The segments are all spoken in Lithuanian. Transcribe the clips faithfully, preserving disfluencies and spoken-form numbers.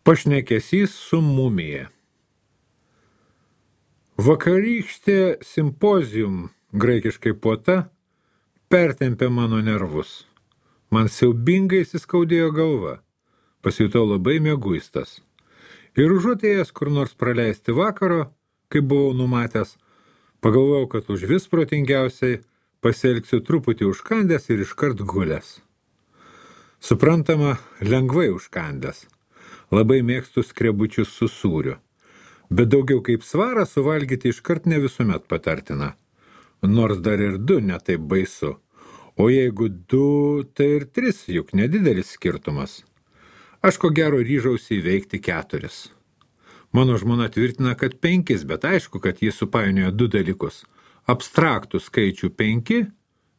Pašnekesys su mumija. Vakarykštė simpozium, graikiškai puota, pertempė mano nervus. Man siaubingai įsiskaudėjo galva. Pasijutau labai mieguistas. Ir užuotėjęs kur nors praleisti vakaro, kaip buvau numatęs, pagalvojau, kad už vis protingiausiai pasielgsiu truputį užkandęs ir iškart gulęs. Suprantama, lengvai užkandęs. Labai mėgstu skrebučius su sūriu. Bet daugiau kaip svarą suvalgyti iškart ne visuomet patartina. Nors dar ir du netaip baisu. O jeigu du, tai ir tris, juk nedidelis skirtumas. Aš ko gero ryžausi įveikti keturis. Mano žmona tvirtina, kad penkis, bet aišku, kad jis supainiojo du dalykus. Abstraktų skaičių penki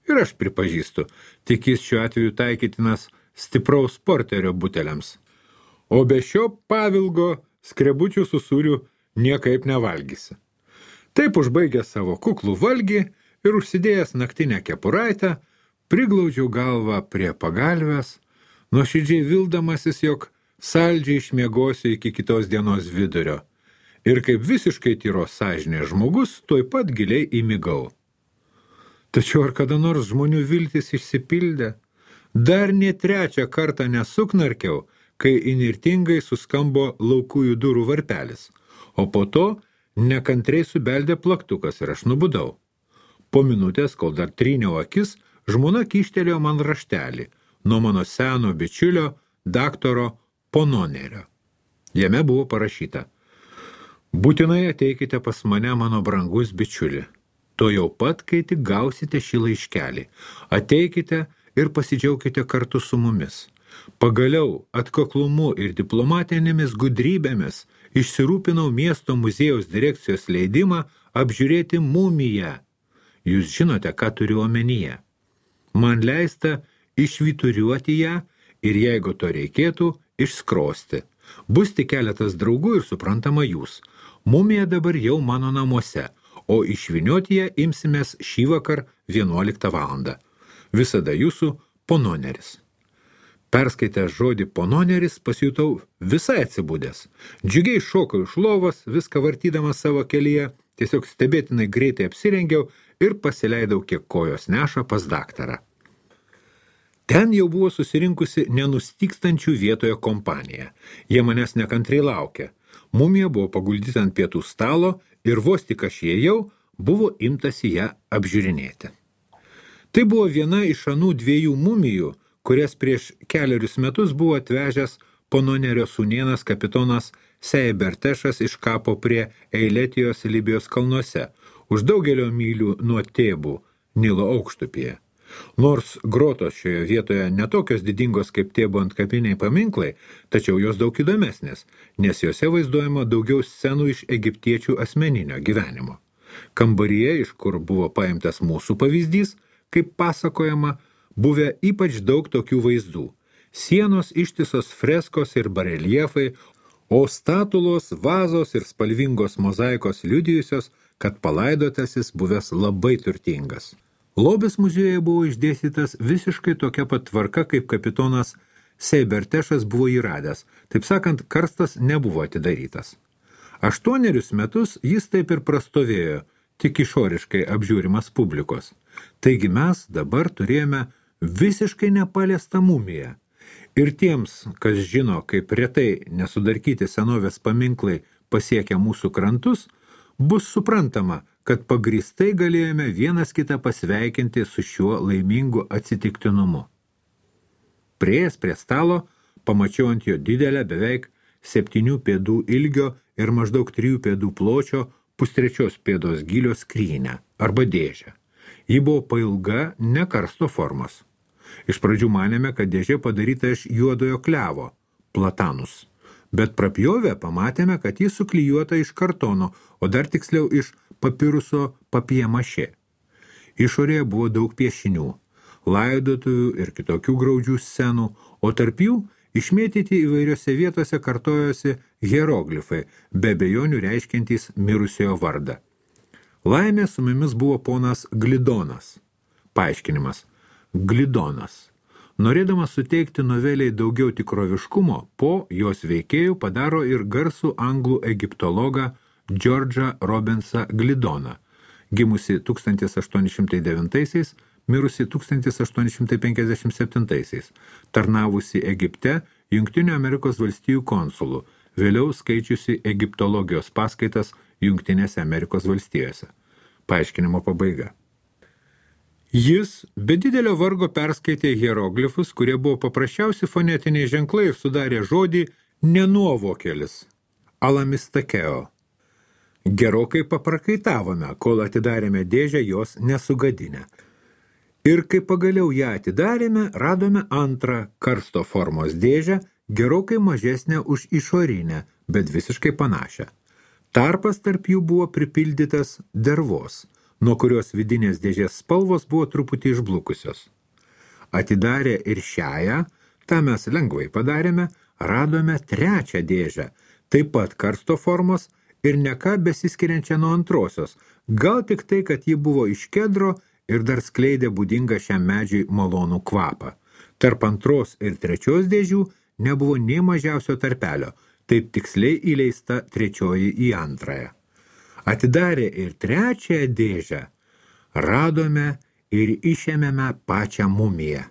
ir aš pripažįstu, tik jis šiuo atveju taikytinas stipraus porterio buteliams. O be šio pavilgo skrebučių su sūriu niekaip nevalgysi. Taip užbaigęs savo kuklų valgį ir užsidėjęs naktinę kepuraitę, priglaudžiau galvą prie pagalvės, nuoširdžiai vildamasis, jog saldžiai išmiegosiu iki kitos dienos vidurio. Ir kaip visiškai tyros sąžinės žmogus, tuoj pat giliai įmigau. Tačiau ar kada nors žmonių viltis išsipildė? Dar ne trečią kartą nesuknarkiau, kai inirtingai suskambo laukųjų durų varpelis, o po to nekantriai subeldė plaktukas ir aš nubudau. Po minutės, kol dar tryniau akis, žmona kyštelėjo man raštelį nuo mano seno bičiulio daktaro Pononerio. Jame buvo parašyta: būtinai ateikite pas mane, mano brangus bičiuli. To jau pat, kai tik gausite šį laiškelį. Ateikite ir pasidžiaukite kartu su mumis. Pagaliau atkaklumu ir diplomatinėmis gudrybėmis išsirūpinau miesto muziejaus direkcijos leidimą apžiūrėti mumiją. Jūs žinote, ką turiu omenyje. Man leista išvyturiuoti ją ir jeigu to reikėtų, išskrosti. Bus tik keletas draugų ir suprantama jūs. Mumija dabar jau mano namuose, o išvynioti ją imsimės šį vakar vienuoliktą valandą. Visada jūsų Pononeris. Perskaitęs žodį Pononeris pasijutau visai atsibudęs. Džiugiai šokau iš lovos, viską vartydamas savo kelyje, tiesiog stebėtinai greitai apsirengiau ir pasileidau, kiek kojos neša, pas daktarą. Ten jau buvo susirinkusi nenustykstančių vietoje kompanija. Jie manęs nekantriai laukė. Mumija buvo paguldyta ant pietų stalo ir vos tik aš įėjau, buvo imtasi ją apžiūrinėti. Tai buvo viena iš anų dviejų mumijų, kurias prieš keliarius metus buvo atvežęs Pononerio sūnėnas kapitonas Seibertešas iš kapo prie Eiletijos Libijos kalnuose, už daugelio mylių nuo Tėbų, Nilo aukštupyje. Nors grotos šioje vietoje netokios didingos kaip Tėbų antkapiniai paminklai, tačiau jos daug įdomesnės, nes jose vaizduojama daugiau scenų iš egiptiečių asmeninio gyvenimo. Kambaryje, iš kur buvo paimtas mūsų pavyzdys, kaip pasakojama, buvę ypač daug tokių vaizdų. Sienos ištisos freskos ir bareliefai, o statulos, vazos ir spalvingos mozaikos liudijusios, kad palaidotasis buvęs labai turtingas. Lobis muziejuje buvo išdėstytas visiškai tokia pat tvarka, kaip kapitonas Seibertešas buvo įradęs. Taip sakant, karstas nebuvo atidarytas. Aštuonerius metus jis taip ir prastovėjo, tik išoriškai apžiūrimas publikos. Taigi mes dabar turėjome visiškai nepaliestą mumiją. Ir tiems, kas žino, kaip retai nesudarkyti senovės paminklai pasiekia mūsų krantus, bus suprantama, kad pagrįstai galėjome vienas kitą pasveikinti su šiuo laimingu atsitiktinumu. Priėjęs prie stalo, pamačiau ant jo didelę beveik septynių pėdų ilgio ir maždaug trijų pėdų pločio pustrečios pėdos gylio skrynę arba dėžę. Ji buvo pailga, ne karsto formos. Iš pradžių manėme, kad dėžė padaryta iš juodojo klevo, platanus, bet prapjovę pamatėme, kad ji suklijuota iš kartono, o dar tiksliau iš papiruso papiemašė. Išorėje buvo daug piešinių, laidotuvių ir kitokių graudžių scenų, o tarp jų išmėtyti įvairiose vietose kartojosi hieroglifai, be abejonių reiškiantys mirusiojo vardą. Laimė su mumis buvo ponas Glidonas. Paaiškinimas. Glidonas. Norėdamas suteikti noveliai daugiau tikroviškumo, po jos veikėjų padaro ir garsų anglų egiptologą Džordžą Robinsą Glidoną, gimusi tūkstantis aštuoni šimtai devintaisiais, mirusi tūkstantis aštuoni šimtai penkiasdešimt septintaisiais, tarnavusi Egipte Jungtinių Amerikos valstijų konsulu, vėliau skaičiusi egiptologijos paskaitas Jungtinėse Amerikos valstijose. Paaiškinimo pabaiga. Jis be didelio vargo perskaitė hieroglifus, kurie buvo paprasčiausi fonetiniai ženklai ir sudarė žodį nenuovokelis – alamistakeo. Gerokai paprakaitavome, kol atidarėme dėžę jos nesugadinę. Ir kai pagaliau ją atidarėme, radome antrą karsto formos dėžę, gerokai mažesnę už išorinę, bet visiškai panašią. Tarpas tarp jų buvo pripildytas dervos, nuo kurios vidinės dėžės spalvos buvo truputį išblukusios. Atidarę ir šiąją, tą mes lengvai padarėme, radome trečią dėžę, taip pat karsto formos ir ne ką besiskiriančią nuo antrosios, gal tik tai, kad ji buvo iš kedro ir dar skleidė būdingą šiam medžiui malonų kvapą. Tarp antros ir trečios dėžių nebuvo nei mažiausio tarpelio, taip tiksliai įleista trečioji į antrąją. Atidarę ir trečiąją dėžę, radome ir išėmėme pačią mumiją.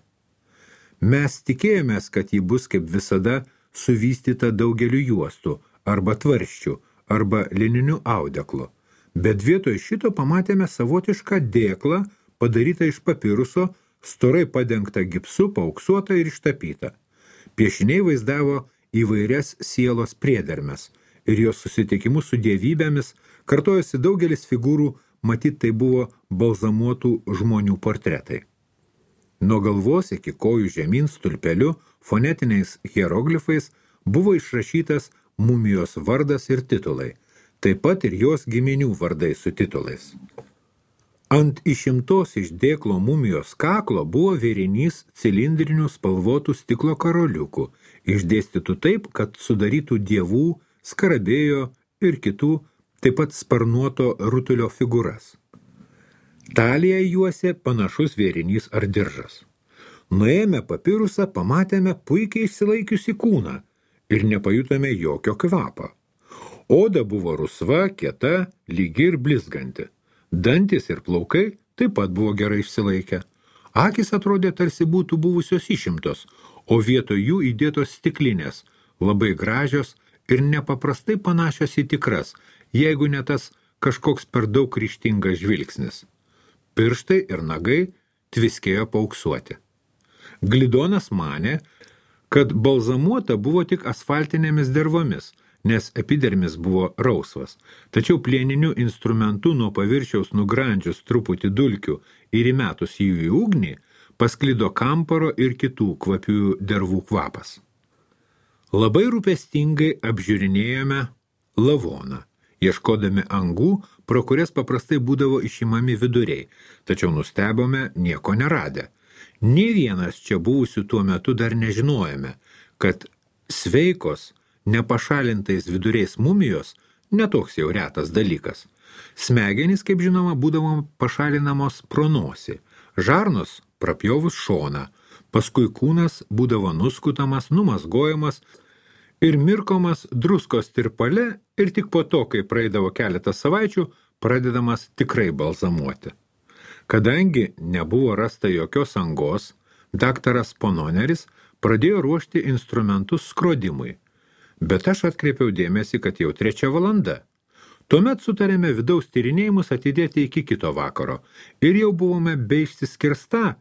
Mes tikėjomės, kad ji bus kaip visada suvystyta daugeliu juostų, arba tvarščių, arba lininiu audeklu, bet vietoj šito pamatėme savotišką dėklą, padarytą iš papiruso, storai padengtą gipsu, paauksuotą ir ištapytą. Piešiniai vaizdavo įvairias sielos priedermes ir jos susitikimus su dievybėmis kartojosi daugelis figūrų, matyt tai buvo balzamuotų žmonių portretai. Nuo galvos iki kojų žemyn stulpeliu, fonetiniais hieroglifais buvo išrašytas mumijos vardas ir titulai, taip pat ir jos giminių vardai su titulais. Ant išimtos iš dėklo mumijos kaklo buvo vėrinys cilindrinių spalvotų stiklo karoliukų, išdėstytų taip, kad sudarytų dievų, skarabėjo ir kitų, taip pat sparnuoto rutulio figūras. Taliją juosė panašus vėrinys ar diržas. Nuėjome papirusą, pamatėme puikiai išsilaikiusi kūną ir nepajutome jokio kvapą. Oda buvo rusva, kieta, lygi ir blizganti. Dantis ir plaukai taip pat buvo gerai išsilaikę. Akys atrodė tarsi būtų buvusios išimtos, o vietoj jų įdėtos stiklinės, labai gražios ir nepaprastai panašios į tikras, jeigu ne tas kažkoks per daug ryžtingas žvilgsnis. Pirštai ir nagai tviskėjo paauksuoti. Glidonas manė, kad balzamuota buvo tik asfaltinėmis dervomis, nes epidermis buvo rausvas, tačiau plieniniu instrumentu nuo paviršiaus nugrandžius truputį dulkių ir įmetus jų į ugnį, pasklido kamparo ir kitų kvapiųjų dervų kvapas. Labai rūpestingai apžiūrinėjome lavoną, ieškodami angų, pro kurias paprastai būdavo išimami viduriai, tačiau nustebome nieko neradę. Nė vienas čia buvusių tuo metu dar nežinojome, kad sveikos, nepašalintais viduriais mumijos netoks jau retas dalykas. Smegenys, kaip žinoma, būdavo pašalinamos pro nosį, žarnos prapjovus šoną, paskui kūnas būdavo nuskutamas, numazgojamas ir mirkomas druskos tirpale ir tik po to, kai praeidavo keletą savaičių, pradedamas tikrai balzamuoti. Kadangi nebuvo rasta jokios angos, daktaras Pononeris pradėjo ruošti instrumentus skrodimui, bet aš atkreipiau dėmesį, kad jau trečia valanda. Tuomet sutarėme vidaus tyrinėjimus atidėti iki kito vakaro ir jau buvome be išsiskirsta,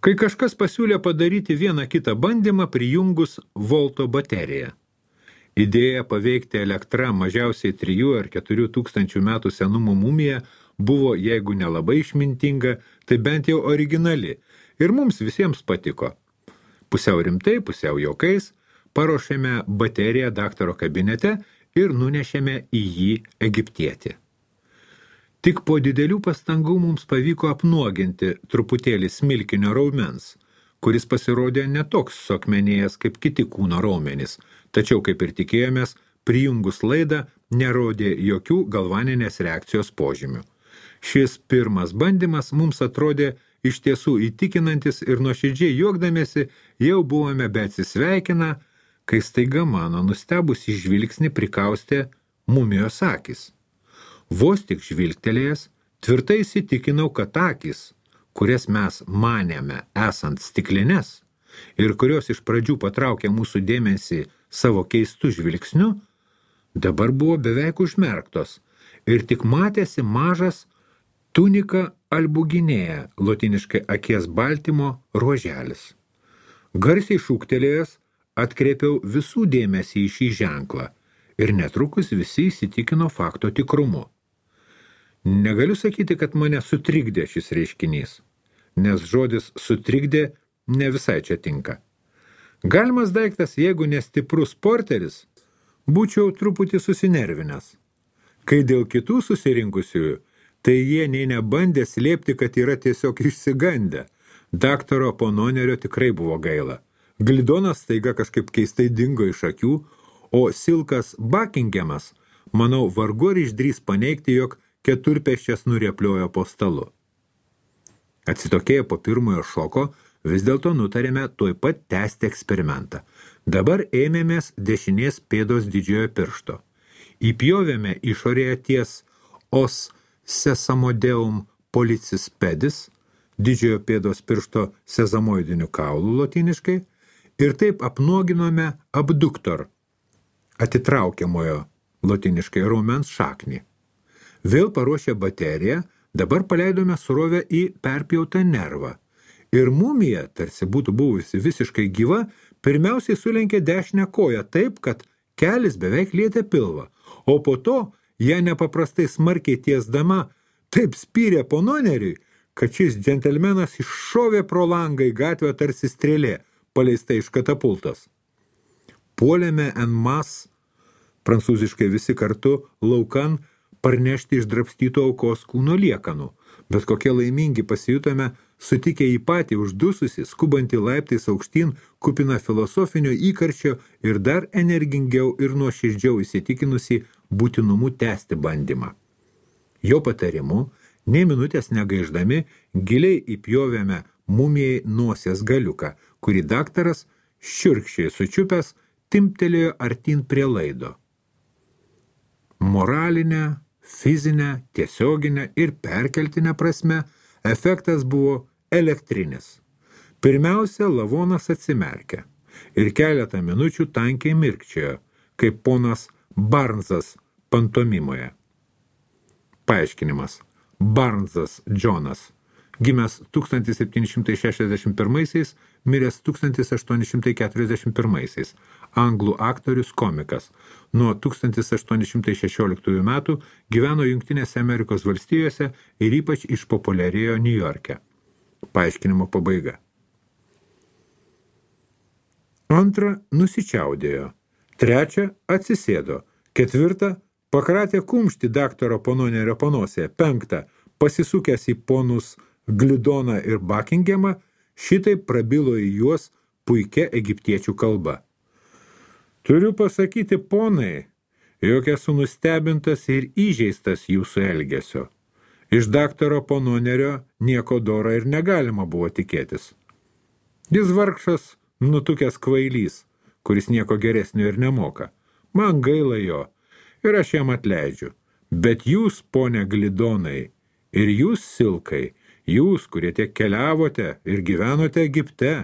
kai kažkas pasiūlė padaryti vieną kitą bandymą prijungus volto bateriją. Idėja paveikti elektrą mažiausiai trijų ar keturių tūkstančių metų senumo mumiją buvo, jeigu nelabai išmintinga, tai bent jau originali ir mums visiems patiko. Pusiau rimtai, pusiau juokais, paruošėme bateriją daktaro kabinete ir nunešėme į jį egiptietį. Tik po didelių pastangų mums pavyko apnuoginti truputėlį smilkinio raumens, kuris pasirodė netoks suakmenėjęs kaip kiti kūno raumenys, tačiau, kaip ir tikėjomės, prijungus laidą nerodė jokių galvaninės reakcijos požymių. Šis pirmas bandymas mums atrodė iš tiesų įtikinantis ir nuoširdžiai juokdamiesi jau buvome beatsisveikina, kai staiga mano nustebusi žvilgsnį prikaustė mumijos akys. Vos tik žvilgtelėjęs, tvirtai įsitikinau, kad akys, kurias mes manėme esant stiklines ir kurios iš pradžių patraukė mūsų dėmesį savo keistų žvilgsniu, dabar buvo beveik užmerktos ir tik matėsi mažas tunika albuginėja, lotiniškai akies baltymo ruoželis. Garsiai šūktelėjęs atkreipiau visų dėmesį į šį ženklą ir netrukus visi įsitikino fakto tikrumu. Negaliu sakyti, kad mane sutrikdė šis reiškinys, nes žodis sutrikdė ne visai čia tinka. Galimas daiktas, jeigu nestiprus porteris, būčiau truputį susinervinęs. Kai dėl kitų susirinkusiųjų, tai jie nei nebandė slėpti, kad yra tiesiog išsigandę. Daktaro Pononerio tikrai buvo gaila. Glidonas staiga kažkaip keistai dingo iš akių, o Silkas Buckinghamas, manau, vargu ar išdrys paneigti, jog keturpėsčias nurėpliojo po stalu. Atsitokėję po pirmojo šoko, vis dėlto nutarėme tuoj pat tęsti eksperimentą. Dabar ėmėmės dešinės pėdos didžiojo piršto. Įpjovėme išorėje ties os sesamodeum pollicis pedis, didžiojo pėdos piršto sezamoidinių kaulų lotiniškai, ir taip apnuoginome abduktor, atitraukiamojo lotiniškai raumens šaknį. Vėl paruošę bateriją, dabar paleidome surovę į perpjautą nervą. Ir mumija, tarsi būtų buvusi visiškai gyva, pirmiausiai sulenkė dešinę koją taip, kad kelis beveik lietė pilvą, o po to ją nepaprastai smarkiai tiesdama taip spyrė Pononeriui, kad šis džentelmenas iššovė pro langą į gatvę tarsi strėlė, paleista iš katapultos. Puolėme en mas, prancūziškai visi kartu, laukan, parnešti išdrapstyto aukos kūno liekanų, bet kokie laimingi pasijutome, sutikę į patį uždususi, skubantį laiptais aukštyn, kupina filosofinio įkarčio ir dar energingiau ir nuoširdžiau įsitikinusi būtinumu tęsti bandymą. Jo patarimu, nei minutės negaiždami, giliai įpjovėme mumijai nosies galiuką, kurį daktaras, šiurkščiai sučiupęs, timptelėjo artin prie laido. Moralinė, fizinė, tiesioginė ir perkeltinė prasme efektas buvo elektrinis. Pirmiausia, lavonas atsimerkė ir keletą minučių tankiai mirkčiojo, kaip ponas Barnsas pantomimoje. Paaiškinimas. Barnsas Džonas, gimęs tūkstantis septyni šimtai šešiasdešimt pirmaisiais, miręs tūkstantis aštuoni šimtai keturiasdešimt pirmaisiais, anglų aktorius komikas. Nuo tūkstantis aštuoni šimtai šešioliktųjų metų gyveno Jungtinėse Amerikos valstijose ir ypač išpopuliarėjo Niujorke. Paaiškinimo pabaiga. Antra, nusičiaudėjo. Trečia, atsisėdo. Ketvirta, pakratė kumštį daktaro Pononerio panosėje. Penkta, pasisukęs į ponus Glidoną ir Buckinghamą, šitai prabilo į juos puikia egiptiečių kalba. Turiu pasakyti, ponai, jog esu nustebintas ir įžeistas jūsų elgesio. Iš daktaro Pononerio nieko doro ir negalima buvo tikėtis. Jis vargšas, nutukęs kvailys, kuris nieko geresnio ir nemoka. Man gaila jo ir aš jam atleidžiu. Bet jūs, ponė Glidonai, ir jūs, Silkai, jūs, kurie tiek keliavote ir gyvenote Egipte,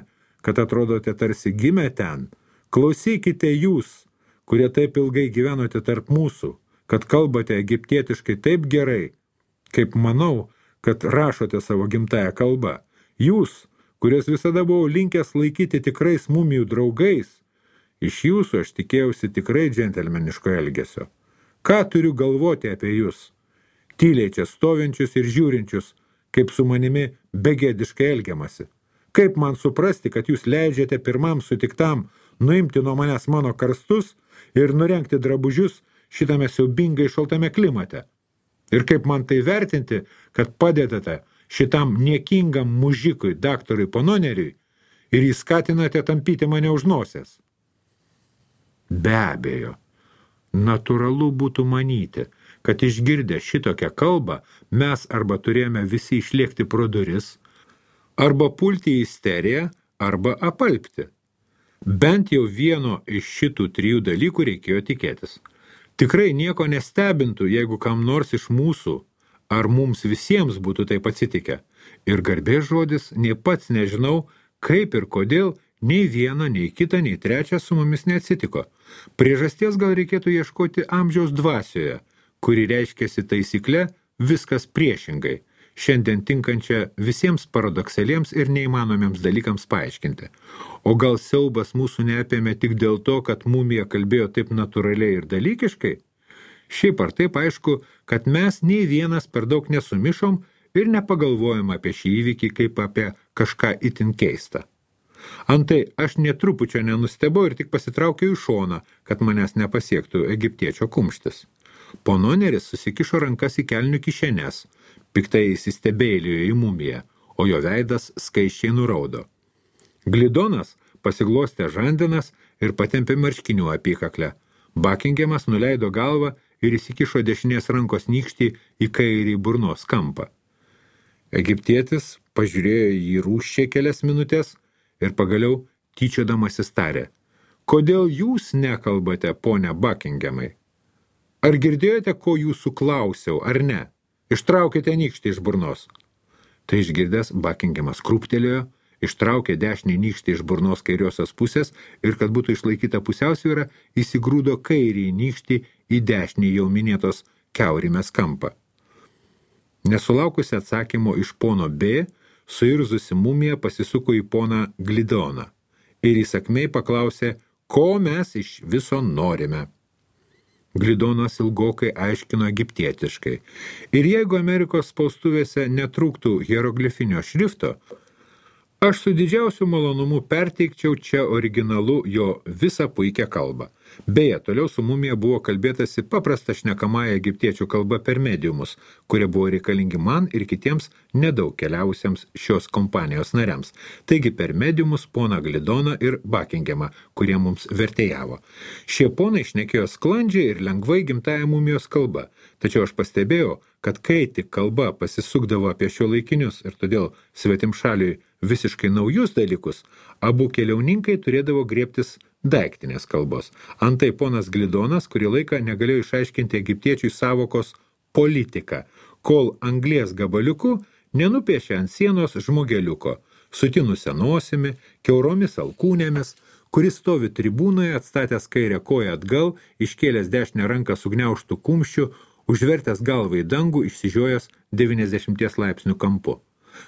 kad atrodote tarsi gimę ten, klausykite jūs, kurie taip ilgai gyvenote tarp mūsų, kad kalbate egiptietiškai taip gerai, kaip manau, kad rašote savo gimtąją kalbą. Jūs, kurios visada buvau linkęs laikyti tikrais mumijų draugais, iš jūsų aš tikėjausi tikrai džentelmeniško elgesio. Ką turiu galvoti apie jūs? Tyliai čia stovinčius ir žiūrinčius, kaip su manimi begėdiškai elgiamasi. Kaip man suprasti, kad jūs leidžiate pirmam sutiktam nuimti nuo manęs mano karstus ir nurengti drabužius šitame siaubingai šaltame klimate? Ir kaip man tai vertinti, kad padedate šitam niekingam mužikui, daktarui Pononeriui, ir jį skatinate tampyti mane už nosies? Be abejo, natūralu būtų manyti, kad išgirdę šitokią kalbą mes arba turėjome visi išlėkti pro duris, Arba pulti į isteriją, arba apalpti. Bent jau vieno iš šitų trijų dalykų reikėjo tikėtis. Tikrai nieko nestebintų, jeigu kam nors iš mūsų ar mums visiems būtų taip atsitikę. Ir garbės žodis, nei pats nežinau, kaip ir kodėl, nei viena, nei kita, nei trečia su mumis neatsitiko. Priežasties gal reikėtų ieškoti amžiaus dvasioje, kuri reiškiasi taisykle viskas priešingai, šiandien tinkančia visiems paradoksaliems ir neįmanomiems dalykams paaiškinti. O gal siaubas mūsų neapėmė tik dėl to, kad mumija kalbėjo taip natūraliai ir dalykiškai? Šiaip ar taip aišku, kad mes nei vienas per daug nesumišom ir nepagalvojom apie šį įvykį kaip apie kažką itin keistą. Antai, aš netrupučio nenustebau ir tik pasitraukiau į šoną, kad manęs nepasiektų egiptiečio kumštis. Pononeris susikišo rankas į kelnių kišenes, piktai įsistebėlėjo į mumiją, o jo veidas skaiščiai nuraudo. Glidonas pasiglostė žandinas ir patempė marškinių apykaklę. Buckinghamas nuleido galvą ir įsikišo dešinės rankos nykštį į kairį burnos kampą. Egiptietis pažiūrėjo jį rūsčiai kelias minutės ir pagaliau tyčiodamasis tarė: kodėl jūs nekalbate, ponia Buckinghamai? Ar girdėjote, ko jūsų klausiau, ar ne? Ištraukite nykštį iš burnos. Tai išgirdęs, Buckinghamas krūptelėjo, ištraukė dešinį nykštį iš burnos kairiosios pusės ir, kad būtų išlaikyta pusiausvyra, įsigrūdo kairį nykštį į dešinį jau minėtos kiaurimės kampą. Nesulaukusi atsakymo iš pono B, suirzusi mumija pasisuko į poną Glidoną ir įsakmiai paklausė, ko mes iš viso norime. Glidonas ilgokai aiškino egiptietiškai. Ir jeigu Amerikos spaustuvėse netrūktų hieroglifinio šrifto, aš su didžiausiu malonumu perteikčiau čia originalu jo visą puikią kalbą. Beje, toliau su mumija buvo kalbėtasi paprasta šnekamąja egiptiečių kalba per mediumus, kurie buvo reikalingi man ir kitiems nedaug keliausiems šios kompanijos nariams. Taigi per mediumus poną Glidoną ir Buckinghamą, kurie mums vertėjavo. Šie ponai šnekėjo sklandžiai ir lengvai gimtąją mumijos kalba. Tačiau aš pastebėjau, kad kai tik kalba pasisukdavo apie šiuolaikinius ir todėl svetimšaliui visiškai naujus dalykus, abu keliauninkai turėdavo griebtis daiktinės kalbos. Antai ponas Glidonas kurį laiką negalėjo išaiškinti egiptiečiui savokos politika, kol anglies gabaliuku nenupiešė ant sienos žmogeliuko, sutinusią nosimi, kiauromis alkūnėmis, kuris stovi tribūnoje atstatęs kairę koją atgal, iškėlęs dešinę ranką sugniaužtų kumščių, užvertęs galvą į dangų, išsižiojęs devyniasdešimties laipsnių kampu.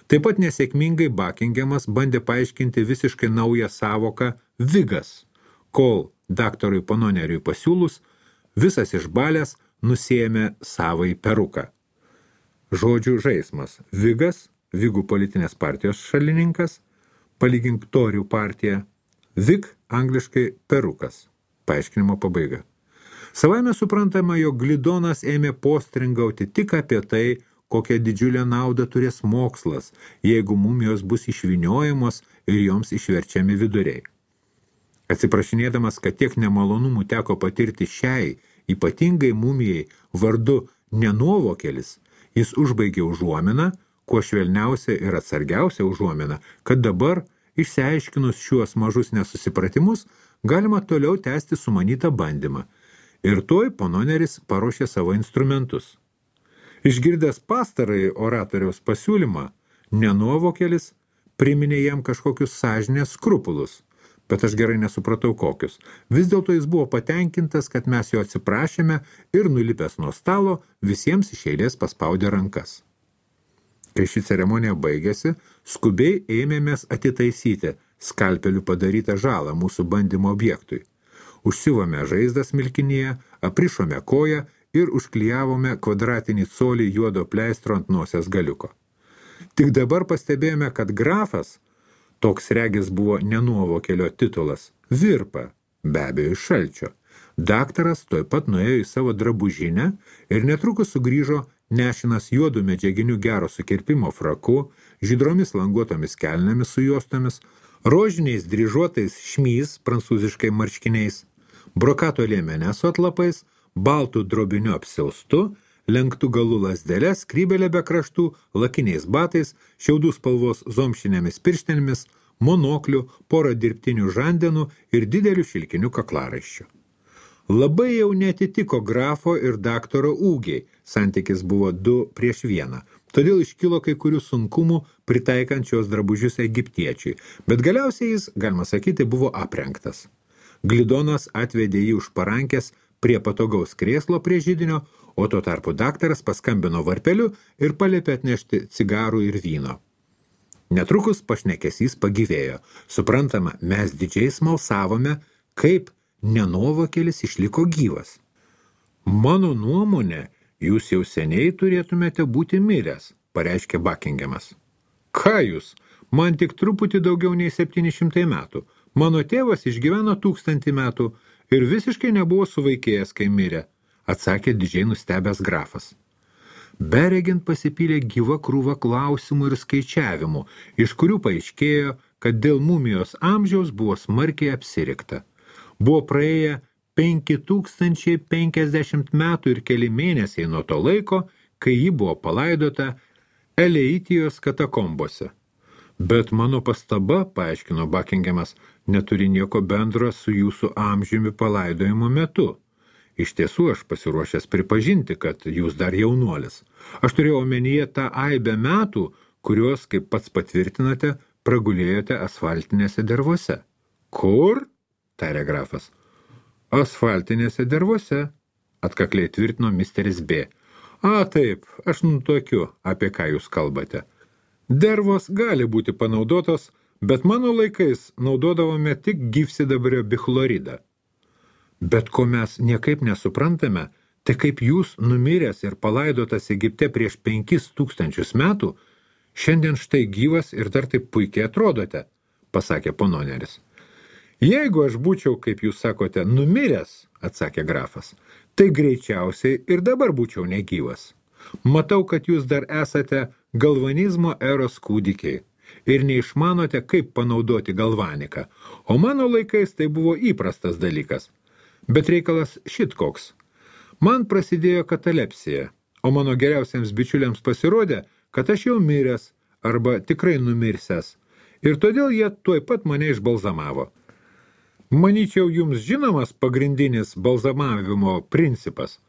Taip pat nesėkmingai Buckinghamas bandė paaiškinti visiškai naują savoką vigas, kol daktarui Pononeriui pasiūlus, visas išbalęs nusiėmė savai peruką. Žodžių žaismas. Vigas, Vigų politinės partijos šalininkas, palygink Torių partiją, Vig angliškai perukas. Paaiškinimo pabaiga. Savaime suprantama, jog Glidonas ėmė postringauti tik apie tai, kokią didžiulę naudą turės mokslas, jeigu mumijos bus išvyniojamos ir joms išverčiami viduriai. Atsiprašinėdamas, kad tiek nemalonumų teko patirti šiai, ypatingai mumijai vardu Nenuovokelis, jis užbaigė užuominą, kuo švelniausia ir atsargiausia užuomina, kad dabar, išsiaiškinus šiuos mažus nesusipratimus, galima toliau tęsti sumanytą bandymą. Ir tuoj Pononeris paruošė savo instrumentus. Išgirdęs pastarąjį oratoriaus pasiūlymą, Nenuovokelis priminė jam kažkokius sąžinės skrupulus, bet aš gerai nesupratau kokius. Vis dėlto jis buvo patenkintas, kad mes jo atsiprašėme ir nulipęs nuo stalo visiems iš eilės paspaudė rankas. Kai ši ceremonija baigėsi, skubiai ėmėmės atitaisyti skalpeliu padarytą žalą mūsų bandymo objektui. Užsiuvome žaizdas milkinyje, aprišome koją ir užklijavome kvadratinį colį juodo pleistro ant nosies galiuko. Tik dabar pastebėjome, kad grafas, toks regis buvo Nenuovokelio titulas, virpa, be abejo iš šalčio. Daktaras tuoj pat nuėjo į savo drabužinę ir netrukus sugrįžo nešinas juodų medžiaginių gero sukirpimo fraku, žydromis languotomis kelnėmis su juostomis, rožiniais dryžuotais šmys, prancūziškai marškiniais, brokato liemene su atlapais, baltų drobiniu apsiaustu, lenktų galų lasdeles, skrybelę be kraštų, lakiniais batais, šiaudų spalvos zomšinėmis pirštenėmis, monoklių, porą dirbtinių žandenų ir didelių šilkinių kaklaraiščių. Labai jau netitiko grafo ir daktaro ūgiai, santykis buvo du prieš vieną, todėl iškilo kai kurių sunkumų pritaikant šios drabužius egiptiečiui, bet galiausiai jis, galima sakyti, buvo aprengtas. Glidonas atvedė jį už parankės prie patogaus krėslo prie židinio, o tuo tarpu daktaras paskambino varpeliu ir paliepė atnešti cigarų ir vyno. Netrukus pašnekesys pagyvėjo. Suprantama, mes didžiai smalsavome, kaip nenovakėlis išliko gyvas. Mano nuomonė, jūs jau seniai turėtumėte būti miręs, pareiškė Buckinghamas. Ką jūs? Man tik truputį daugiau nei septyni šimtai metų. Mano tėvas išgyveno tūkstantį metų ir visiškai nebuvo suvaikėjęs, kai mirė, atsakė didžiai nustebęs grafas. Beregint pasipylė gyva krūva klausimų ir skaičiavimų, iš kurių paaiškėjo, kad dėl mumijos amžiaus buvo smarkiai apsirikta. Buvo praėję penki tūkstančiai penkiasdešimt metų ir keli mėnesiai nuo to laiko, kai ji buvo palaidota Eleitijos katakombose. Bet mano pastaba, paaiškino Buckinghamas, neturi nieko bendro su jūsų amžiumi palaidojimo metu. Iš tiesų aš pasiruošęs pripažinti, kad jūs dar jaunuolis. Aš turėjau omenyje tą aibę metų, kuriuos, kaip pats patvirtinate, pragulėjote asfaltinėse dervose. Kur? Tarė grafas. Asfaltinėse dervose, atkakliai tvirtino misteris B. A, taip, aš nutokiu, apie ką jūs kalbate. Dervos gali būti panaudotos, bet mano laikais naudodavome tik gyvsidabrio bichloridą. Bet ko mes niekaip nesuprantame, tai kaip jūs numiręs ir palaidotas Egipte prieš penkis tūkstančius metų, šiandien štai gyvas ir dar taip puikiai atrodote, pasakė pononeris. Jeigu aš būčiau, kaip jūs sakote, numiręs, atsakė grafas, tai greičiausiai ir dabar būčiau negyvas. Matau, kad jūs dar esate galvanizmo eros kūdikiai ir neišmanote, kaip panaudoti galvaniką, o mano laikais tai buvo įprastas dalykas. Bet reikalas šit koks. Man prasidėjo katalepsija, o mano geriausiams bičiuliams pasirodė, kad aš jau miręs arba tikrai numirsęs, ir todėl jie tuoj pat mane išbalzamavo. Manyčiau, jums žinomas pagrindinis balzamavimo principas.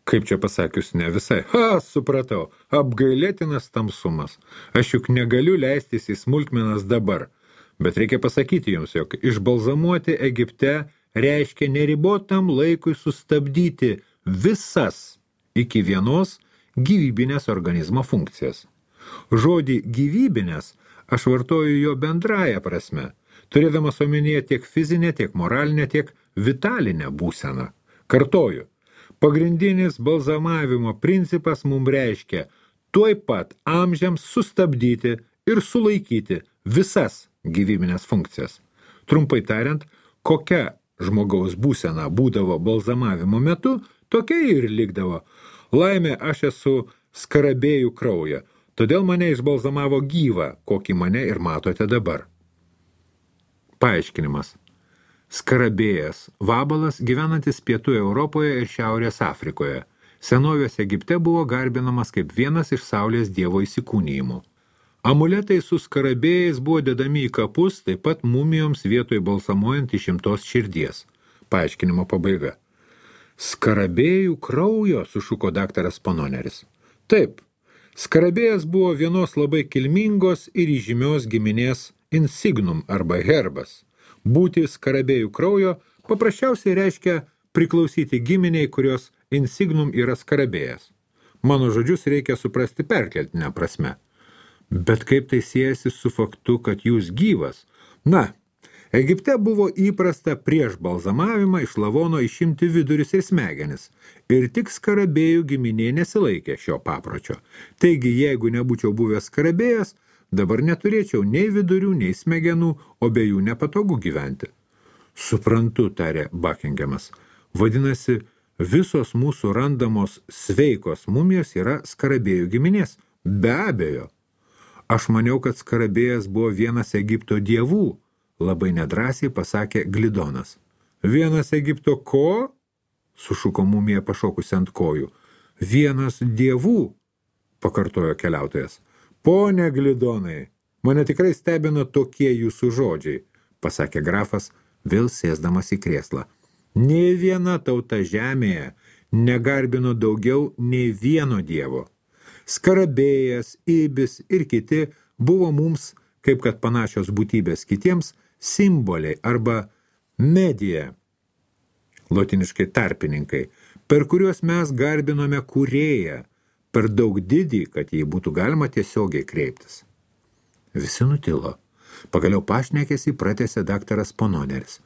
Kaip čia pasakius, ne visai. Ha, supratau, apgailėtinas tamsumas. Aš juk negaliu leistis į smulkmenas dabar, bet reikia pasakyti jums, jog išbalzamuoti Egipte reiškia neribotam laikui sustabdyti visas iki vienos gyvybinės organizmo funkcijas. Žodį gyvybinės aš vartoju jo bendrąją prasme, turėdamas omenyje tiek fizinę, tiek moralinę, tiek vitalinę būseną. Kartoju. Pagrindinis balzamavimo principas mums reiškia tuoj pat amžiams sustabdyti ir sulaikyti visas gyvybinės funkcijas. Trumpai tariant, kokia žmogaus būsena būdavo balzamavimo metu, tokia ir likdavo. Laimė, aš esu skarabėjų kraują, todėl mane išbalzamavo gyvą, kokį mane ir matote dabar. Paaiškinimas. Skarabėjas, vabalas gyvenantis pietų Europoje ir Šiaurės Afrikoje. Senovės Egipte buvo garbinamas kaip vienas iš saulės dievo įsikūnijimų. Amuletai su skarabėjais buvo dedami į kapus, taip pat mumijoms vietoj balsamuojant išimtos širdies. Paaiškinimo pabaiga. Skarabėjų kraujo, sušuko daktaras Pononeris. Taip, skarabėjas buvo vienos labai kilmingos ir įžymios giminės insignum arba herbas. Būti skarabėjų kraujo paprasčiausiai reiškia priklausyti giminiai, kurios insignum yra skarabėjas. Mano žodžius reikia suprasti perkeltinę prasme. Bet kaip tai siejasi su faktu, kad jūs gyvas? Na, Egipte buvo įprasta prieš balzamavimą iš lavono išimti vidurius ir smegenis, ir tik skarabėjų giminė nesilaikė šio papročio. Taigi, jeigu nebūčiau buvęs skarabėjas, dabar neturėčiau nei vidurių, nei smegenų, o be jų nepatogu gyventi. Suprantu, tarė Buckinghamas. Vadinasi, visos mūsų randamos sveikos mumijos yra skarabėjų giminės. Be abejo. Aš maniau, kad skarabėjas buvo vienas Egipto dievų, labai nedrąsiai pasakė Glidonas. Vienas Egipto ko? Sušuko mumija pašokusi ant kojų. Vienas dievų, pakartojo keliautojas. Pone Glidonai, mane tikrai stebina tokie jūsų žodžiai, pasakė grafas, vėl sėsdamas į krėslą. Nei viena tauta žemėje negarbino daugiau nei vieno dievo. Skarabėjas, Ibis ir kiti buvo mums, kaip kad panašios būtybės kitiems, simboliai arba medija, lotiniškai tarpininkai, per kuriuos mes garbinome kūrėją, per daug didį, kad jį būtų galima tiesiogiai kreiptis. Visi nutilo. Pagaliau pašnekėsi pratęsė daktaras Pononeris.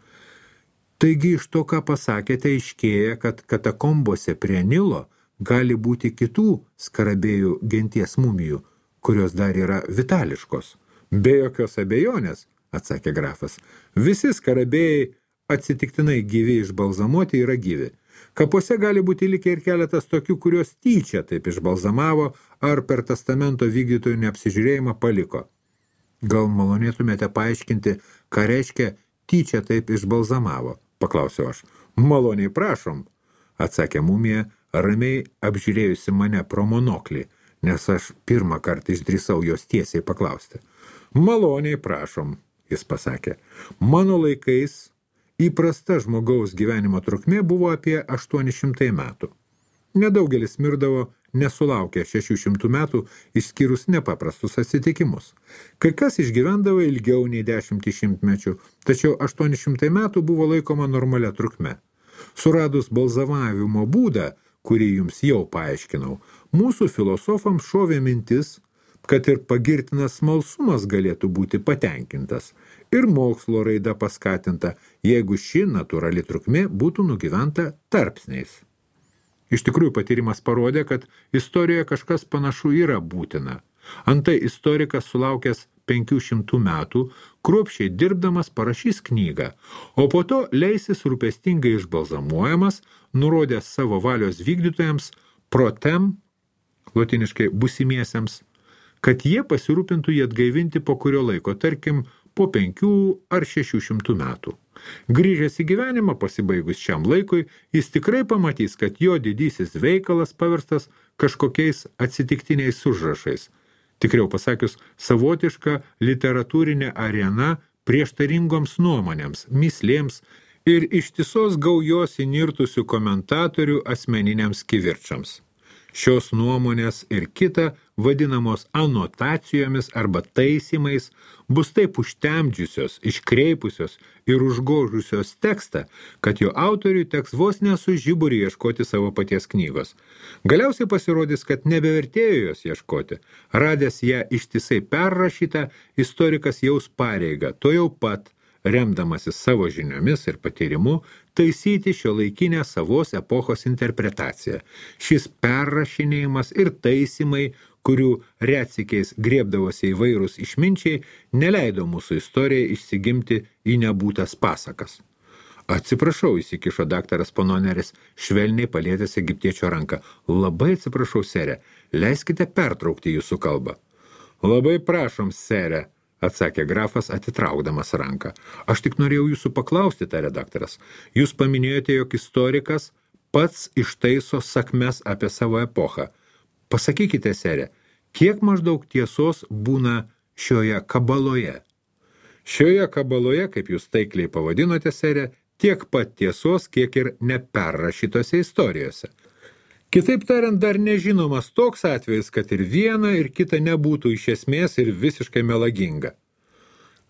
Taigi iš to, ką pasakėte, aiškėja, kad katakombose prie Nilo gali būti kitų skarabėjų genties mumijų, kurios dar yra vitališkos. Be jokios abejonės, atsakė grafas. Visi skarabėjai atsitiktinai gyvi išbalzamuoti yra gyvi. Kapuose gali būti likę ir keletas tokių, kurios tyčia taip išbalzamavo ar per testamento vykdytojų neapsižiūrėjimą paliko. Gal malonėtumėte paaiškinti, ką reiškia tyčia taip išbalzamavo, paklausiau aš. Maloniai prašom, atsakė mumija, ramiai apžiūrėjusi mane pro monoklį, nes aš pirmą kartą išdrįsau jos tiesiai paklausti. Maloniai prašom, jis pasakė. Mano laikais įprasta žmogaus gyvenimo trukmė buvo apie aštuoni šimtai metų. Nedaugelis mirdavo nesulaukę šešių šimtų metų, išskyrus nepaprastus atsitikimus. Kai kas išgyvendavo ilgiau nei dešimtį šimtmečių, tačiau aštuoni šimtai metų buvo laikoma normalia trukme. Suradus balzamavimo būdą, kurį jums jau paaiškinau, mūsų filosofams šovė mintis, kad ir pagirtinas smalsumas galėtų būti patenkintas ir mokslo raida paskatinta, jeigu ši natūrali trukmė būtų nugyventa tarpsniais. Iš tikrųjų patyrimas parodė, kad istorijoje kažkas panašu yra būtina. Antai istorikas sulaukęs penkių šimtų metų, kruopščiai dirbdamas parašys knygą, o po to leisis rūpestingai išbalzamuojamas, nurodęs savo valios vykdytojams protem, lotiniškai busimiesiems, kad jie pasirūpintų jį atgaivinti po kurio laiko, tarkim, po penkių ar šešių šimtų metų. Grįžęs į gyvenimą pasibaigus šiam laikui, jis tikrai pamatys, kad jo didysis veikalas paverstas kažkokiais atsitiktiniais užrašais. Tikriau pasakius, savotiška literatūrinė arena prieštaringoms nuomonėms, mislėms ir ištisos gaujos įnirtusių komentatorių asmeniniams kivirčams. Šios nuomonės ir kita, vadinamos anotacijomis arba taisymais, bus taip užtemdžiusios, iškreipusios ir užgožusios tekstą, kad jo autoriui teks vos nesu žiburį ieškoti savo paties knygos. Galiausiai pasirodys, kad nebevertėjo jos ieškoti. Radęs ją ištisai perrašytą, istorikas jaus pareigą, to jau pat, remdamasis savo žiniomis ir patyrimu, taisyti šiuolaikinę savos epochos interpretaciją. Šis perrašinėjimas ir taisymai, kurių retsykiais griebdavosi įvairūs išminčiai, neleido mūsų istorijai išsigimti į nebūtas pasakas. Atsiprašau, įsikišo daktaras Pononeris, švelniai palietęs egiptiečio ranką. Labai atsiprašau, sere, leiskite pertraukti jūsų kalbą. Labai prašom, sere, atsakė grafas, atitraukdamas ranką. Aš tik norėjau jūsų paklausti, tarė daktaras. Jūs paminėjote, jog istorikas pats ištaiso sakmes apie savo epochą. Pasakykite, sere, kiek maždaug tiesos būna šioje kabaloje? Šioje kabaloje, kaip jūs taikliai pavadinote, sere, tiek pat tiesos, kiek ir neperrašytose istorijose. Kitaip tariant, dar nežinomas toks atvejis, kad ir viena ir kita nebūtų iš esmės ir visiškai melaginga.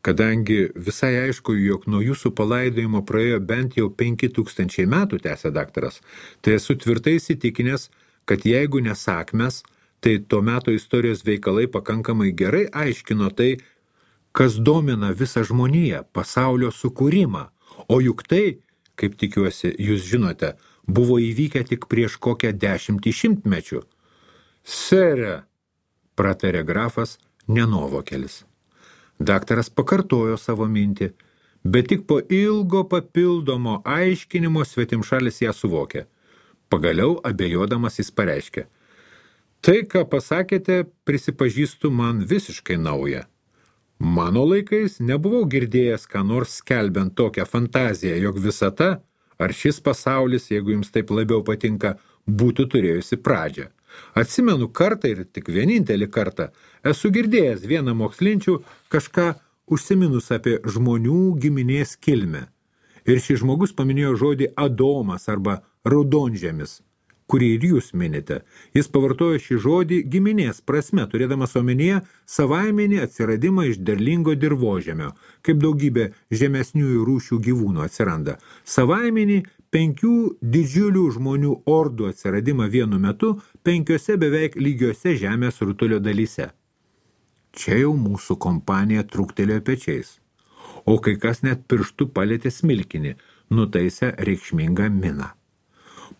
Kadangi visai aišku, jog nuo jūsų palaidojimo praėjo bent jau penki tūkstančiai metų, tęsė daktaras, tai esu tvirtai įsitikinęs, kad jeigu nesakmes, tai to meto istorijos veikalai pakankamai gerai aiškino tai, kas domina visą žmoniją, pasaulio sukūrimą, o juk tai, kaip tikiuosi, jūs žinote, buvo įvykę tik prieš kokią dešimtį šimtmečių. Sere, pratarė grafas nenuovokelis. Daktaras pakartojo savo mintį, bet tik po ilgo papildomo aiškinimo svetimšalis ją suvokė. Pagaliau abejodamas jis pareiškė. Tai, ką pasakėte, prisipažįstu man visiškai nauja. Mano laikais nebuvau girdėjęs, ką nors skelbiant tokią fantaziją, jog visata, ar šis pasaulis, jeigu jums taip labiau patinka, būtų turėjusi pradžią. Atsimenu kartą ir tik vienintelį kartą esu girdėjęs vieną mokslinčių kažką užsiminus apie žmonių giminės kilmę. Ir šis žmogus paminėjo žodį Adomas arba raudonžemis, kurį ir jūs minite. Jis pavartojo šį žodį giminės prasme, turėdamas omenyje savaiminį atsiradimą iš derlingo dirvožemio, kaip daugybė žemesniųjų rūšių gyvūnų atsiranda. Savaiminį penkių didžiulių žmonių ordų atsiradimą vienu metu penkiose beveik lygiose žemės rutulio dalyse. Čia jau mūsų kompanija trūktelėjo pečiais, o kai kas net pirštų palėtė smilkinį, nutaisė reikšmingą miną.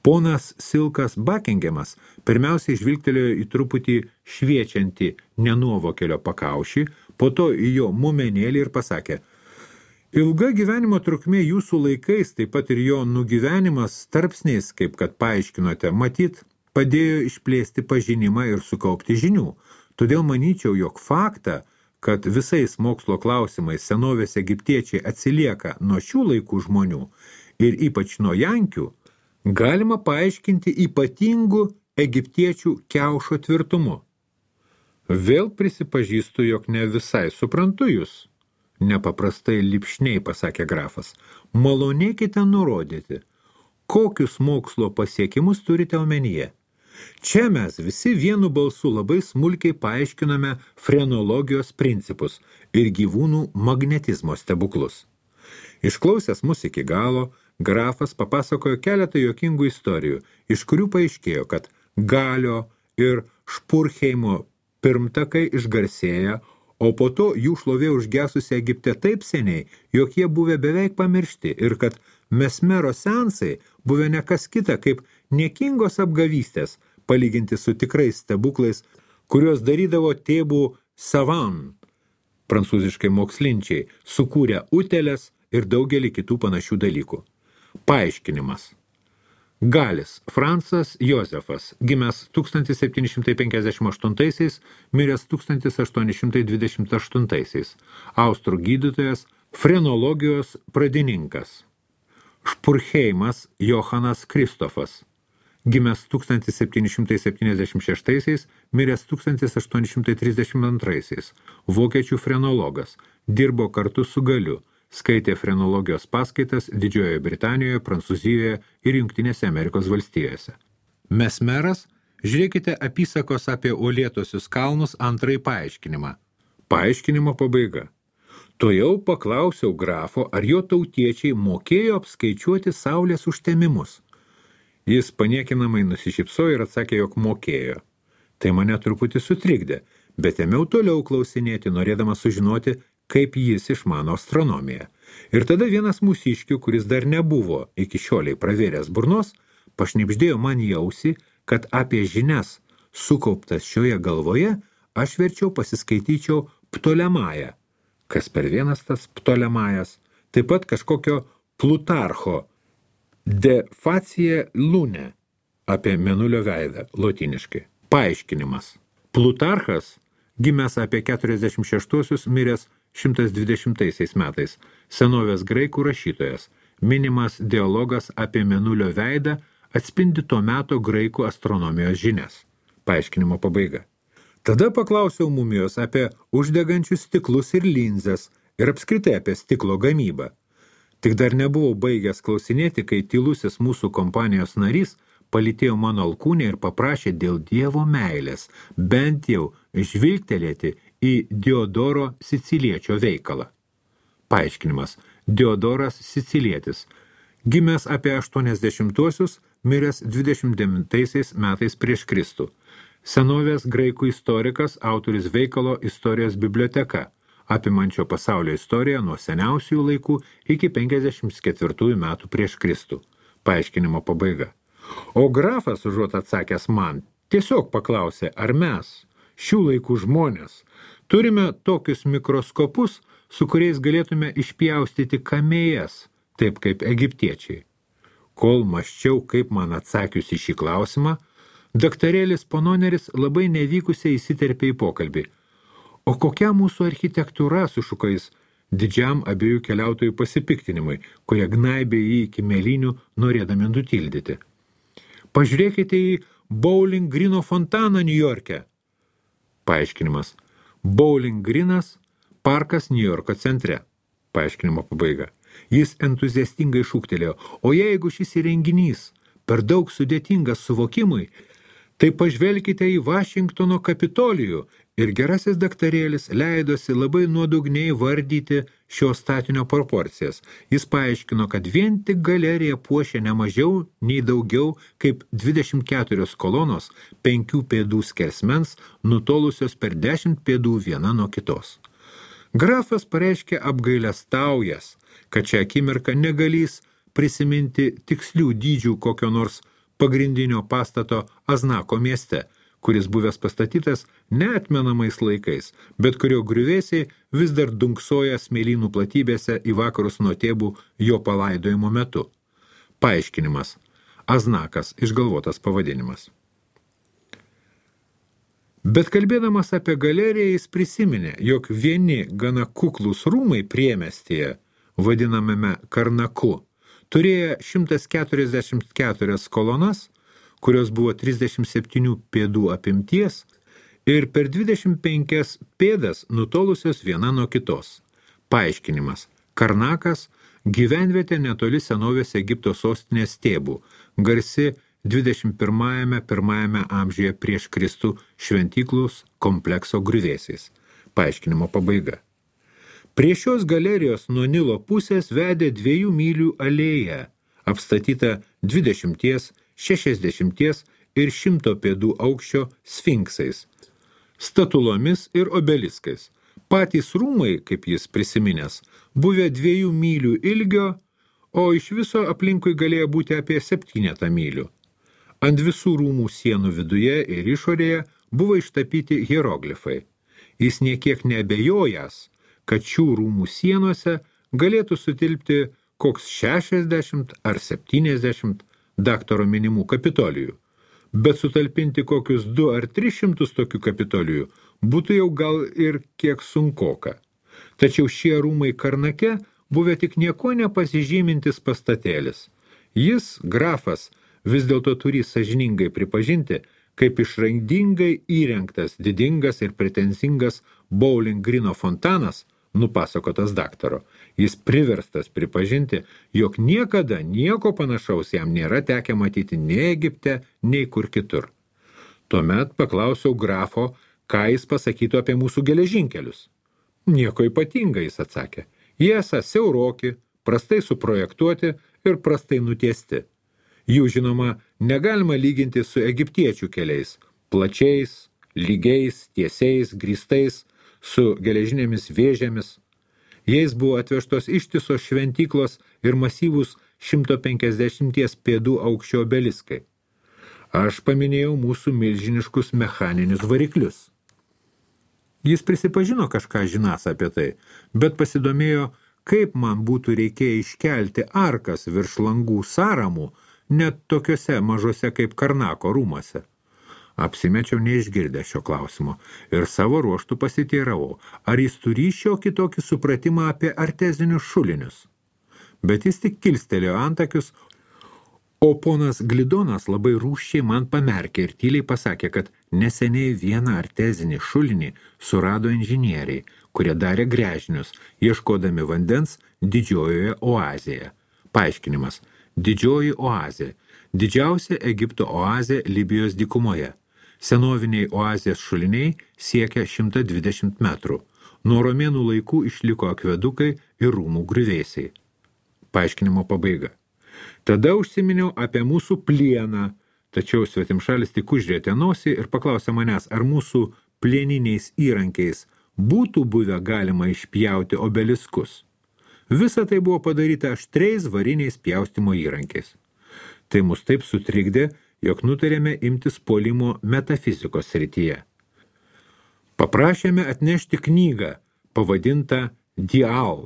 Ponas Silkas Buckinghamas pirmiausiai žvilgtelėjo į truputį šviečiantį nenuovokelio pakaušį, po to į jo mumenėlį ir pasakė: ilga gyvenimo trukmė jūsų laikais, taip pat ir jo nugyvenimas tarpsniais, kaip kad paaiškinote, matyt, padėjo išplėsti pažinimą ir sukaupti žinių. Todėl manyčiau, jog faktą, kad visais mokslo klausimais senovės egiptiečiai atsilieka nuo šių laikų žmonių ir ypač nuo jankių, galima paaiškinti ypatingu egiptiečių kiaušo tvirtumu. Vėl prisipažįstu, jog ne visai suprantu jūs. Nepaprastai lipšniai, pasakė grafas. Malonėkite nurodyti, kokius mokslo pasiekimus turite omenyje. Čia mes visi vienu balsu labai smulkiai paaiškiname frenologijos principus ir gyvūnų magnetizmo stebuklus. Išklausęs mus iki galo, grafas papasakojo keletą juokingų istorijų, iš kurių paaiškėjo, kad Galio ir Špurheimo pirmtakai išgarsėja, o po to jų šlovė užgesusi Egipte taip seniai, jog jie buvę beveik pamiršti ir kad mesmero seansai buvę ne kas kita kaip niekingos apgavystės, palyginti su tikrais stebuklais, kuriuos darydavo tėbų savan, prancūziškai mokslinčiai, sukūrę uteles ir daugelį kitų panašių dalykų. Paaiškinimas. Galis Francas Jozefas, gimęs tūkstantis septyni šimtai penkiasdešimt aštuntaisiais, miręs tūkstantis aštuoni šimtai dvidešimt aštuntaisiais, austrų gydytojas, frenologijos pradininkas. Špurheimas Johanas Kristofas, gimęs tūkstantis septyni šimtai septyniasdešimt šeštaisiais, miręs tūkstantis aštuoni šimtai trisdešimt antraisiais, vokiečių frenologas, dirbo kartu su Galiu, skaitė frenologijos paskaitas Didžiojoje Britanijoje, Prancūzijoje ir Jungtinėse Amerikos valstijose. Mesmeras, žiūrėkite apysakos apie uolėtosius kalnus antrąjį paaiškinimą. Paaiškinimo pabaiga. Tojau paklausiau grafo, ar jo tautiečiai mokėjo apskaičiuoti saulės užtemimus. Jis paniekinamai nusišypsojo ir atsakė, jog mokėjo. Tai mane truputį sutrikdė, bet ėmiau toliau klausinėti, norėdamas sužinoti, kaip jis išmano astronomiją. Ir tada vienas mūsiškių, kuris dar nebuvo iki šioliai pravėręs burnos, pašnibždėjo man į ausį, kad apie žinias sukauptas šioje galvoje aš verčiau pasiskaityčiau Ptolemają. Kas per vienas tas Ptolemajas? Taip pat kažkokio Plutarcho De facie lune apie mėnulio veidą lotyniškai. Paaiškinimas. Plutarchas, gimęs apie keturiasdešimt šeštuosius, miręs šimtas dvidešimtaisiais metais, senovės graikų rašytojas, minimas dialogas apie mėnulio veidą atspindi to meto graikų astronomijos žinias. Paaiškinimo pabaiga. Tada paklausiau mumijos apie uždegančius stiklus ir linzes ir apskritai apie stiklo gamybą. Tik dar nebuvau baigęs klausinėti, kai tylusis mūsų kompanijos narys palytėjo mano alkūnę ir paprašė dėl Dievo meilės bent jau žvilgtelėti į Diodoro Siciliečio veikalą. Paaiškinimas. Diodoras Sicilietis, gimęs apie aštuoniasdešimtuosius, miręs dvidešimt devintaisiais metais prieš Kristų. Senovės graikų istorikas, autoris veikalo Istorijos biblioteka, apimančio pasaulio istoriją nuo seniausių laikų iki penkiasdešimt ketvirtųjų metų prieš Kristų. Paaiškinimo pabaiga. O grafas, užuot atsakęs man, tiesiog paklausė, ar mes, šių laikų žmonės, turime tokius mikroskopus, su kuriais galėtume išpjaustyti kamėjas, taip kaip egiptiečiai. Kol mąsčiau, kaip man atsakius į šį klausimą, daktarėlis Pononeris labai nevykusiai įsiterpė į pokalbį. O kokia mūsų architektūra, sušuko jis didžiam abiejų keliautojų pasipiktinimui, kurie gnaibė jį iki mėlynių, norėdami nutildyti. Pažiūrėkite į Bowling Greeno fontaną Niujorke. Paaiškinimas. Bowling Greenas – parkas Niujorko centre. Paaiškinimo pabaiga. Jis entuziastingai šūktelėjo, o jeigu šis įrenginys per daug sudėtingas suvokimui, tai pažvelkite į Vašingtono Kapitolijų, ir gerasis daktarėlis leidosi labai nuodugniai vardyti šio statinio proporcijas. Jis paaiškino, kad vien tik galerija puošia ne mažiau nei daugiau kaip dvidešimt keturios kolonos penkių pėdų skersmens, nutolusios per dešimt pėdų viena nuo kitos. Grafas pareiškė apgailestaujas, kad šią akimirką negalys prisiminti tikslių dydžių kokio nors pagrindinio pastato Aznako mieste, kuris buvęs pastatytas neatmenamais laikais, bet kurio griuvėsiai vis dar dunksoja smėlynų platybėse į vakarus nuo Tėbų jo palaidojimo metu. Paaiškinimas. Aznakas – išgalvotas pavadinimas. Bet kalbėdamas apie galeriją jis prisiminė, jog vieni gana kuklūs rūmai priemiestyje, vadinamame Karnaku, turėjo šimtas keturiasdešimt keturias kolonas, kurios buvo trisdešimt septynių pėdų apimties ir per dvidešimt penkias pėdas nutolusios viena nuo kitos. Paaiškinimas. Karnakas – gyvenvietė netoli senovės Egipto sostinės Tėbų, garsi dvidešimt pirmajame pirmajame amžiuje prieš Kristų šventyklus komplekso griuvėsiais. Paaiškinimo pabaiga. Prie šios galerijos nuo Nilo pusės vedė dviejų mylių alėja, apstatyta dvidešimties, šešiasdešimties ir šimto pėdų aukščio sfinksais, statulomis ir obeliskais. Patys rūmai, kaip jis prisiminęs, buvę dviejų mylių ilgio, o iš viso aplinkui galėjo būti apie septynetą mylių. Ant visų rūmų sienų viduje ir išorėje buvo ištapyti hieroglifai. Jis niekiek neabejojęs, kad šių rūmų sienose galėtų sutilpti koks šešiasdešimt ar septyniasdešimt daktaro minimų kapitolijų, bet sutalpinti kokius du ar tris šimtus tokių kapitolijų būtų jau gal ir kiek sunkoka. Tačiau šie rūmai Karnake buvę tik nieko nepasižymintis pastatėlis. Jis, grafas, vis dėlto turi sąžiningai pripažinti, kaip išrandingai įrengtas, didingas ir pretenzingas Bowling Greeno fontanas, nupasakotas daktaro. Jis priverstas pripažinti, jog niekada nieko panašaus jam nėra tekę matyti nei Egipte, nei kur kitur. Tuomet paklausiau grafo, ką jis pasakytų apie mūsų geležinkelius. Nieko ypatinga, jis atsakė. Jie esą siauroki, prastai suprojektuoti ir prastai nutiesti. Jų, žinoma, negalima lyginti su egiptiečių keliais, plačiais, lygiais, tiesiais, grįstais, su geležinėmis vėžėmis. Jais buvo atvežtos ištisos šventyklos ir masyvūs šimto penkiasdešimties pėdų aukščio obeliskai. Aš paminėjau mūsų milžiniškus mechaninius variklius. Jis prisipažino kažką žinąs apie tai, bet pasidomėjo, kaip man būtų reikėję iškelti arkas virš langų sąramų, net tokiuose mažose kaip Karnako rūmuose. Apsimečiau neišgirdę šio klausimo ir savo ruoštų pasiteiravau, ar jis turi šiokį tokį supratimą apie artezinius šulinius. Bet jis tik kilstelėjo antakius, o ponas Glidonas labai rūsčiai man pamerkė ir tyliai pasakė, kad neseniai vieną artezinį šulinį surado inžinieriai, kurie darė gręžinius, ieškodami vandens didžiojoje oazėje. Paaiškinimas. Didžioji oazė. Didžiausia Egipto oazė Libijos dykumoje. Senoviniai oazės šuliniai siekia šimtą dvidešimt metrų. Nuo romėnų laikų išliko akvedukai ir rūmų griuvėsiai. Paaiškinimo pabaiga. Tada užsiminiau apie mūsų plieną, tačiau svetimšalis tik užrėtė nosį ir paklausė manęs, ar mūsų plieniniais įrankiais būtų buvę galima išpjauti obeliskus. Visa tai buvo padaryta aštriais variniais pjaustymo įrankiais. Tai mus taip sutrikdė, jog nutarėme imtis puolimo metafizikos srityje. Paprašėme atnešti knygą, pavadintą Dial,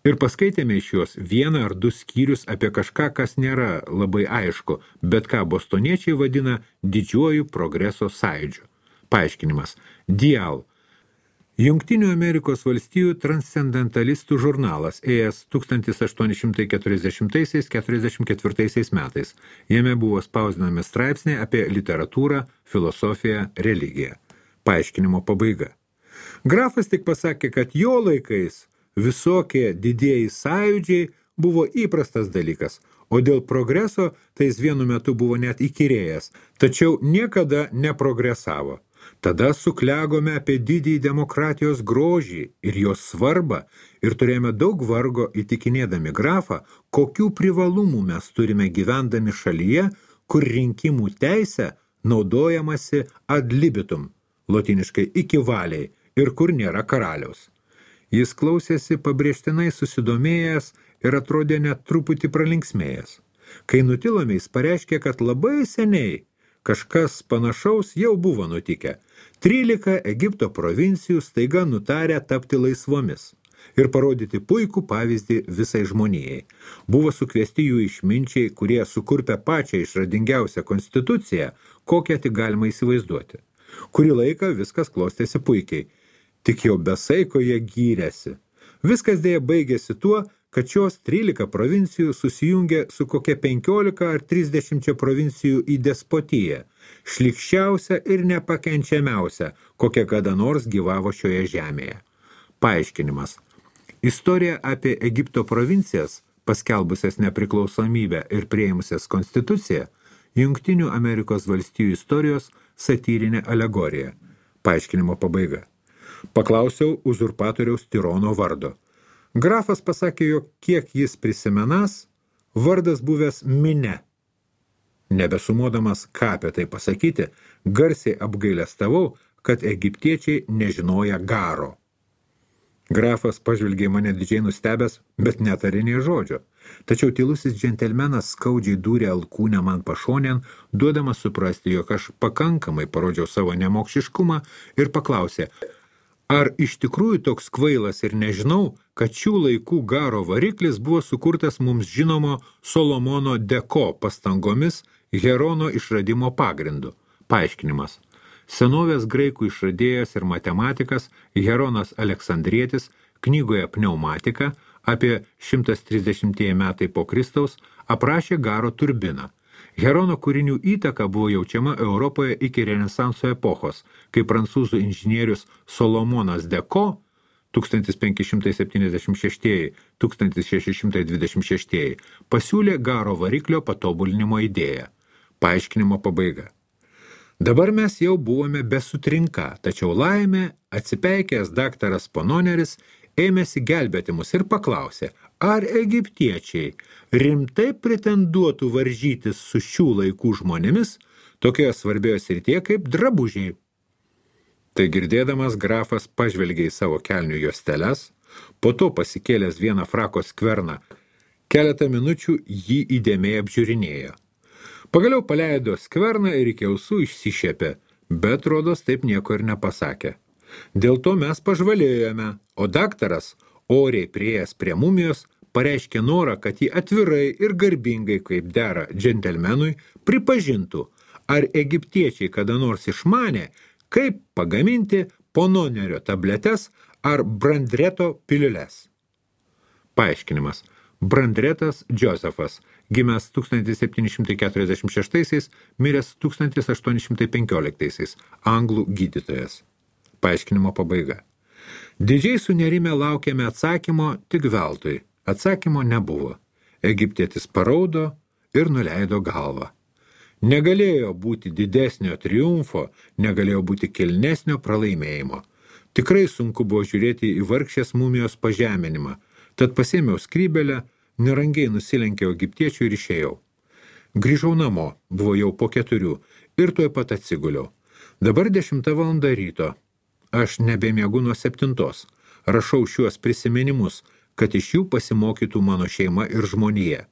ir paskaitėme iš jos vieną ar du skyrius apie kažką, kas nėra labai aišku, bet ką bostoniečiai vadina didžiuoju progreso sąjūdžiu. Paaiškinimas. Dial. Jungtinių Amerikos valstijų transcendentalistų žurnalas ėjęs tūkstantis aštuoni šimtai keturiasdešimtaisiais keturiasdešimt ketvirtaisiais metais. Jame buvo spausdinami straipsniai apie literatūrą, filosofiją, religiją. Paaiškinimo pabaiga. Grafas tik pasakė, kad jo laikais visokie didieji sąjūdžiai buvo įprastas dalykas, o dėl progreso tai jis vienu metu buvo net įkyrėjęs, tačiau niekada neprogresavo. Tada suklegome apie didįjį demokratijos grožį ir jos svarbą ir turėjome daug vargo įtikinėdami grafą, kokių privalumų mes turime gyvendami šalyje, kur rinkimų teisė naudojamasi ad libitum, lotiniškai iki valiai, ir kur nėra karaliaus. Jis klausėsi pabrėžtinai susidomėjęs ir atrodė net truputį pralinksmėjęs. Kai nutilome, jis pareiškė, kad labai seniai kažkas panašaus jau buvo nutikę. Trylika Egipto provincijų staiga nutarė tapti laisvomis ir parodyti puikų pavyzdį visai žmonijai. Buvo sukviesti jų išminčiai, kurie sukurpė pačią išradingiausią konstituciją, kokią tik galima įsivaizduoti. Kurį laiką viskas klostėsi puikiai, tik jau be saiko jie gyrėsi. Viskas dėja baigėsi tuo, kad šios trylika provincijų susijungė su kokia penkiolika ar trisdešimčia provincijų į despotiją, šlykščiausia ir nepakenčiamiausia, kokia kada nors gyvavo šioje žemėje. Paaiškinimas. Istorija apie Egipto provincijas, paskelbusias nepriklausomybę ir priėmusias konstituciją, Jungtinių Amerikos valstijų istorijos satyrinė alegorija. Paaiškinimo pabaiga. Paklausiau uzurpatoriaus tirono vardo. Grafas pasakė, jog kiek jis prisimenas, vardas buvęs Mine. Nebesumuodamas, ką apie tai pasakyti, garsiai apgailestavau, kad egiptiečiai nežinoja garo. Grafas pažvelgė mane didžiai nustebęs, bet netarė nė žodžio. Tačiau tylusis džentelmenas skaudžiai dūrė alkūnę man pašonėn, duodamas suprasti, jog aš pakankamai parodžiau savo nemokšiškumą ir paklausė, ar iš tikrųjų toks kvailas ir nežinau, kad šių laikų garo variklis buvo sukurtas mums žinomo Solomono Deko pastangomis Herono išradimo pagrindu. Paaiškinimas. Senovės graikų išradėjas ir matematikas Heronas Aleksandrietis knygoje Pneumatika apie šimtas trisdešimtieji metai po Kristaus aprašė garo turbiną. Herono kūrinių įtaka buvo jaučiama Europoje iki Renesanso epochos, kai prancūzų inžinierius Solomonas Deko tūkstantis penki šimtai septyniasdešimt šeši - tūkstantis šeši šimtai dvidešimt šeši pasiūlė garo variklio patobulinimo idėją. Paaiškinimo pabaiga. Dabar mes jau buvome be sutrinka, tačiau laimė atsipeikęs daktaras Pononeris ėmėsi gelbėti mus ir paklausė, ar egiptiečiai rimtai pretenduotų varžytis su šių laikų žmonėmis tokioje svarbioje srityje kaip drabužiai. Tai girdėdamas grafas pažvelgė į savo kelnių juosteles, po to pasikėlęs vieną frako skverną, keletą minučių jį įdėmiai apžiūrinėjo. Pagaliau paleido skverną ir iki ausų išsišiepė, bet rodos taip nieko ir nepasakė. Dėl to mes pažvalėjome, o daktaras, oriai priėjęs prie mumijos, pareiškė norą, kad jį atvirai ir garbingai, kaip dera džentelmenui, pripažintų, ar egiptiečiai kada nors išmanė, kaip pagaminti Pononerio tabletes ar Brandreto piliules. Paaiškinimas. Brandretas Josefas, gimęs tūkstantis septyni šimtai keturiasdešimt šeštaisiais, miręs tūkstantis aštuoni šimtai penkioliktaisiais, anglų gydytojas. Paaiškinimo pabaiga. Didžiai sunerime laukėme atsakymo tik veltui. Atsakymo nebuvo. Egiptietis paraudo ir nuleido galvą. Negalėjo būti didesnio triumfo, negalėjo būti kilnesnio pralaimėjimo. Tikrai sunku buvo žiūrėti į vargšės mumijos pažeminimą, tad pasėmiau skrybelę, nerangiai nusilenkiau egiptiečių ir išėjau. Grįžau namo, buvo jau po keturių, ir tuoj pat atsiguliau. Dabar dešimta valanda ryto. Aš nebemiegu nuo septintos. Rašau šiuos prisiminimus, kad iš jų pasimokytų mano šeima ir žmonija.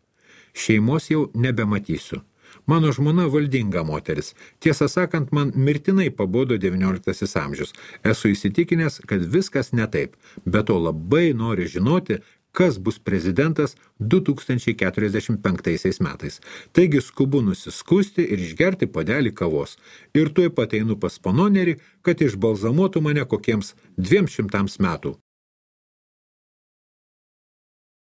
Šeimos jau nebematysiu. Mano žmona valdinga moteris. Tiesą sakant, man mirtinai pabodo devynioliktasis amžius. Esu įsitikinęs, kad viskas ne taip, bet to labai nori žinoti, kas bus prezidentas du tūkstančiai keturiasdešimt penktaisiais metais. Taigi skubu nusiskusti ir išgerti puodelį kavos. Ir tuoj pat einu pas panonerį, kad išbalzamuotų mane kokiems dviem šimtams metų.